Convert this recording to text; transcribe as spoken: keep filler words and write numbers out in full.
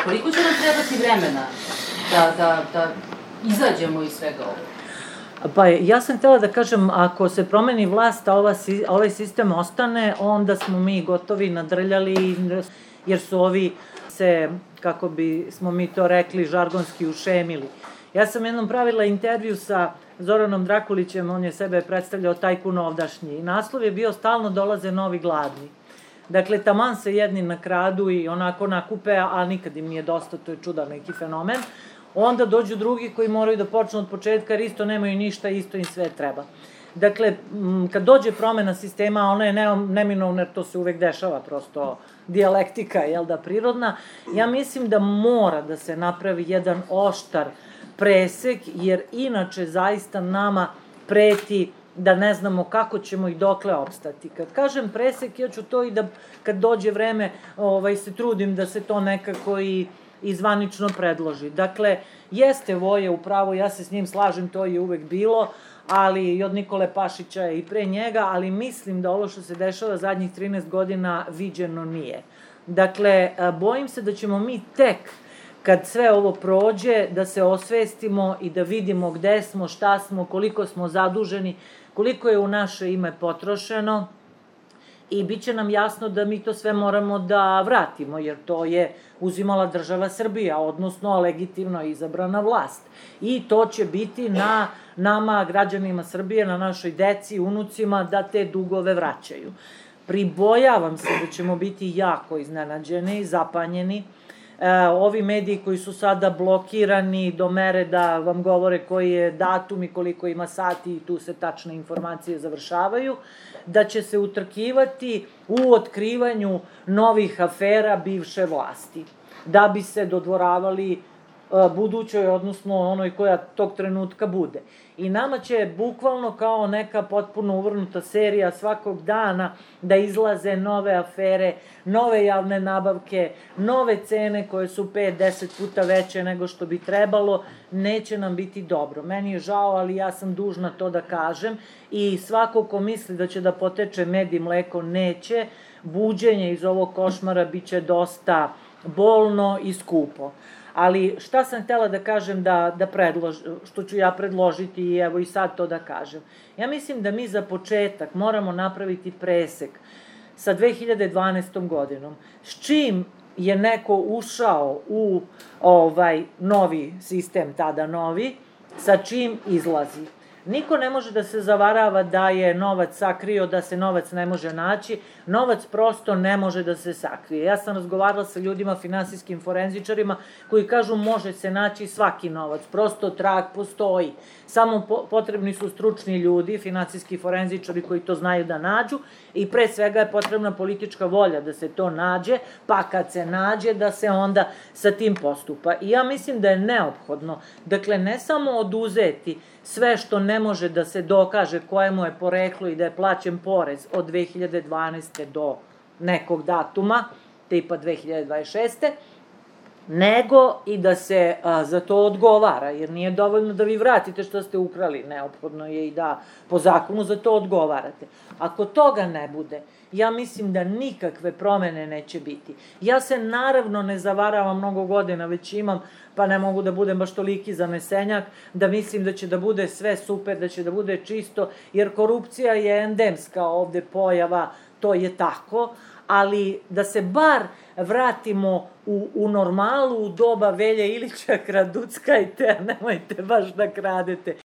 Koliko će nam trebati vremena da, da, da izađemo iz svega ovoga? Pa ja sam htjela da kažem, ako se promeni vlast, a ova, ovaj sistem ostane, onda smo mi gotovi nadrljali, jer su ovi se, kako bi smo mi to rekli, žargonski ušemili. Ja sam jednom pravila intervju sa Zoranom Drakulićem, on je sebe predstavljao tajkun ovdašnji, i naslov je bio "Stalno dolaze novi gladni". Dakle, taman se jedni nakradu i onako nakupe, a nikad im nije dosta, to je čudan neki fenomen. Onda dođu drugi koji moraju da počnu od početka, jer isto nemaju ništa, isto im sve treba. Dakle, kad dođe promena sistema, ona je neminovna, jer to se uvek dešava, prosto dijalektika, jel da, prirodna. Ja mislim da mora da se napravi jedan oštar presek, jer inače zaista nama preti da ne znamo kako ćemo i dokle opstati. Kad kažem presek, ja ću to i da kad dođe vreme se trudim da se to nekako i zvanično predloži. Dakle, jeste Voja upravo, ja se s njim slažem, to je uvek bilo, ali i od Nikole Pašića i pre njega, ali mislim da ovo što se dešava zadnjih trinaest godina viđeno nije. Dakle, bojim se da ćemo mi tek kad sve ovo prođe, da se osvestimo i da vidimo gde smo, šta smo, koliko smo zaduženi, koliko je u naše ime potrošeno, i bit će nam jasno da mi to sve moramo da vratimo, jer to je uzimala država Srbija, odnosno legitimno izabrana vlast. I to će biti na nama, građanima Srbije, na našoj deci, unucima, da te dugove vraćaju. Pribojavam se da ćemo biti jako iznenađeni, zapanjeni. Ovi mediji koji su sada blokirani do mere da vam govore koji je datum i koliko ima sati i tu se tačne informacije završavaju, da će se utrkivati u otkrivanju novih afera bivše vlasti, da bi se dodvoravali budućoj, odnosno onoj koja tog trenutka bude. I nama će bukvalno kao neka potpuno uvrnuta serija svakog dana da izlaze nove afere, nove javne nabavke, nove cene koje su pet do deset puta veće nego što bi trebalo. Neće nam biti dobro. Meni je žao, ali ja sam dužna to da kažem, i svako ko misli da će da poteče med i mleko, neće. Buđenje iz ovog košmara biće dosta bolno i skupo. Ali šta sam htela da kažem da predložim, što ću ja predložiti i evo i sad to da kažem. Ja mislim da mi za početak moramo napraviti presek sa dve hiljade dvanaestom godinom. S čim je neko ušao u novi sistem, tada novi, sa čim izlazi. Niko ne može da se zavarava da je novac sakrio, da se novac ne može naći. Novac prosto ne može da se sakrije. Ja sam razgovarala sa ljudima, finansijskim forenzičarima, koji kažu može se naći svaki novac. Prosto trag postoji. Samo potrebni su stručni ljudi, finansijski forenzičari koji to znaju da nađu, i pre svega je potrebna politička volja da se to nađe, pa kad se nađe da se onda sa tim postupa. I ja mislim da je neophodno, dakle, ne samo oduzeti sve što ne može da se dokaže kojemu je poreklo i da je plaćen porez od dve hiljade dvanaeste do nekog datuma, tipa dve hiljade dvadeset šeste, nego i da se za to odgovara, jer nije dovoljno da vi vratite što ste ukrali, neophodno je i da po zakonu za to odgovarate. Ako toga ne bude, ja mislim da nikakve promene neće biti. Ja se naravno ne zavaravam, mnogo godina već imam, pa ne mogu da budem baš toliki zanesenjak, da mislim da će da bude sve super, da će da bude čisto, jer korupcija je endemska ovde pojava, to je tako, ali da se bar vratimo u normalu, u doba Velje Ilića, kraduckajte, a nemojte baš da kradete.